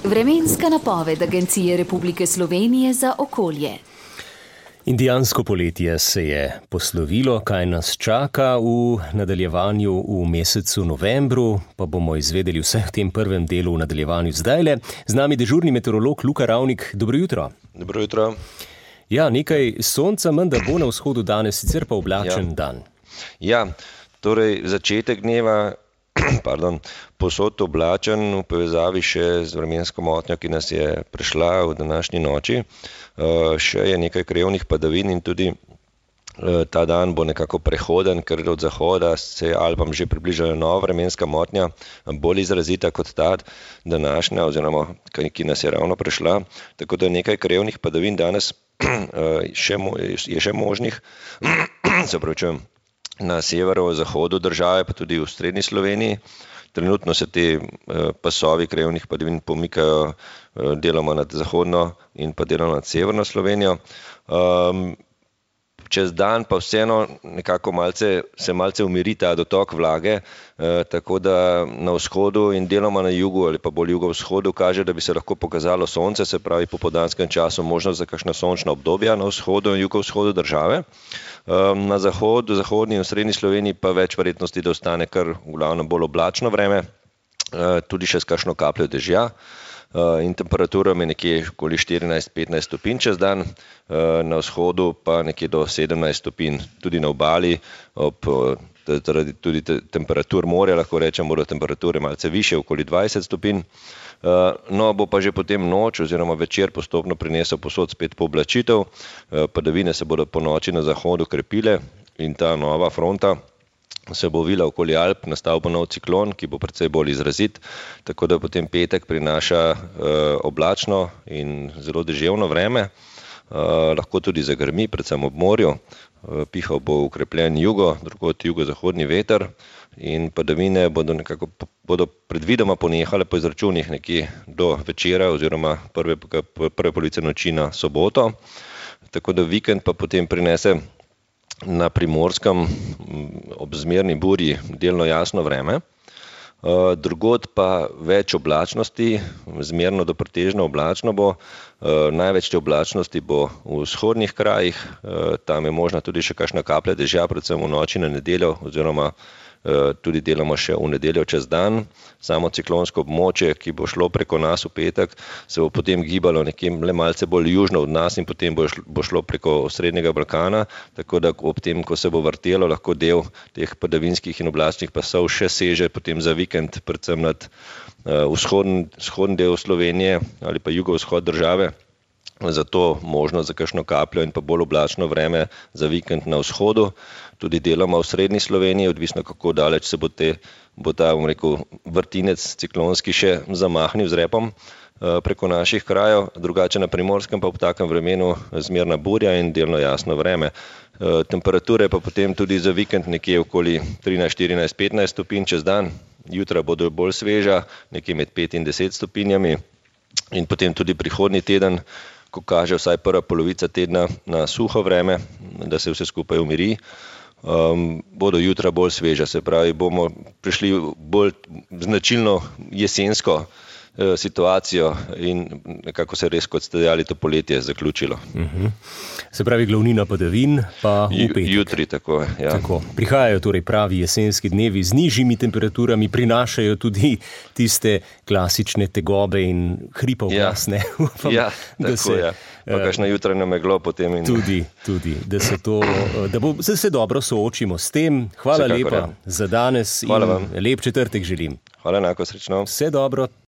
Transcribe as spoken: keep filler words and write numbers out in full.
Vremenska napoved Agencije Republike Slovenije za okolje. Indijansko poletje se je poslovilo, kaj nas čaka v nadaljevanju v mesecu novembru, pa bomo izvedeli vse v tem prvem delu v nadaljevanju zdajle. Z nami dežurni meteorolog Luka Ravnik. Dobro jutro. Dobro jutro. Ja, nekaj sonca menda bo na vzhodu danes, sicer pa oblačen ja. dan. Ja, torej začetek dneva, pardon, posod oblačen v povezavi še z vremensko motnjo, ki nas je prešla v današnji noči. Uh, še je nekaj krajevnih padavin in tudi uh, ta dan bo nekako prehoden, ker od zahoda se Alpam že približala nova vremenska motnja, bolj izrazita kot ta današnja, oziroma ki nas je ravno prešla. Tako da nekaj krajevnih padavin danes uh, še mo- je še možnih, se pravičujem, na severozahodu države, pa tudi v srednji Sloveniji. Trenutno se te pasovi krajevnih padavin pomikajo deloma nad zahodno in pa deloma nad severno Slovenijo. Um, čez dan pa vseeno nekako malce, se malce umiri ta dotok vlage, eh, tako da na vzhodu in deloma na jugu ali pa bolj jugovzhodu kaže, da bi se lahko pokazalo sonce, se pravi po popoldanskem času možnost za kakšna sončna obdobja na vzhodu in jugovzhodu države. Um, na zahodu, zahodni in srednji Sloveniji pa več verjetnosti, da ostane kar v glavnem bolj oblačno vreme, uh, tudi še s kakšno kapljo dežja. Uh, in temperatura je nekje okoli štirinajst do petnajst stopinj čez dan, uh, na vzhodu pa nekje do sedemnajst stopinj, tudi na obali, ob zaradi tudi te, temperatur morja, lahko rečem, bodo temperature malce više, okoli dvajset stopinj. Uh, no, bo pa že potem noč oziroma večer postopno prinesel posod spet pooblačitev, uh, padavine se bodo po noči na zahodu krepile in ta nova fronta se bo vila okoli Alp, nastal bo nov ciklon, ki bo precej bolj izrazit, tako da potem petek prinaša uh, oblačno in zelo deževno vreme, uh, lahko tudi zagrmi, predvsem ob morju, uh, pihal bo ukrepljen jugo, drugod jugozahodni veter in padavine bodo nekako bodo predvidoma ponehale po izračunih nekje do večera oziroma prve, prve polovice noči na soboto, tako da vikend pa potem prinese na Primorskem ob zmerni burji delno jasno vreme, drugod pa več oblačnosti, zmerno do pretežno oblačno bo, največ te oblačnosti bo v vzhodnih krajih, tam je možna tudi še kakšna kaplja dežja, predvsem v noči na nedeljo oziroma tudi delamo še v nedeljo čez dan. Samo ciklonsko območje, ki bo šlo preko nas v petek, se bo potem gibalo nekje le malce bolj južno od nas in potem bo šlo, bo šlo preko srednjega Balkana, tako da ob tem, ko se bo vrtelo, lahko del teh padavinskih in oblačnih pasov še seže potem za vikend, predvsem nad uh, vzhodni, vzhodni del Slovenije ali pa jugovzhod države. Zato možnost za kakšno kapljo in pa bolj oblačno vreme za vikend na vzhodu, tudi deloma v srednji Sloveniji, odvisno kako daleč se bo, te, bo ta, bom rekel, vrtinec ciklonski še zamahnil z repom preko naših krajev, drugače na Primorskem pa v takem vremenu zmerna burja in delno jasno vreme. Temperature pa potem tudi za vikend nekje okoli trinajst, štirinajst, petnajst stopinj čez dan, jutra bodo bolj sveža, nekje med pet in deset stopinjami in potem tudi prihodnji teden, ko kaže vsaj prva polovica tedna na suho vreme, da se vse skupaj umiri, um, bodo jutra bolj sveža, se pravi, bomo prišli bolj značilno jesensko uh, situacijo in nekako se res, kot ste dejali, to poletje zaključilo. Uh-huh. Se pravi, glavnina padavin pa v petek. Jutri, tako, ja. Tako. Prihajajo torej pravi jesenski dnevi z nižjimi temperaturami, prinašajo tudi tiste klasične tegobe in hripa v glas, ne? Upam, ja, tako, se, ja. Pa kakšna jutranja meglo potem. In... Tudi, tudi, da se to, da bo, se, se dobro soočimo s tem. Hvala Vsekakor, lepa ja. za danes. Hvala in vam. Lep četrtek želim. Hvala enako, srečno. Vse dobro.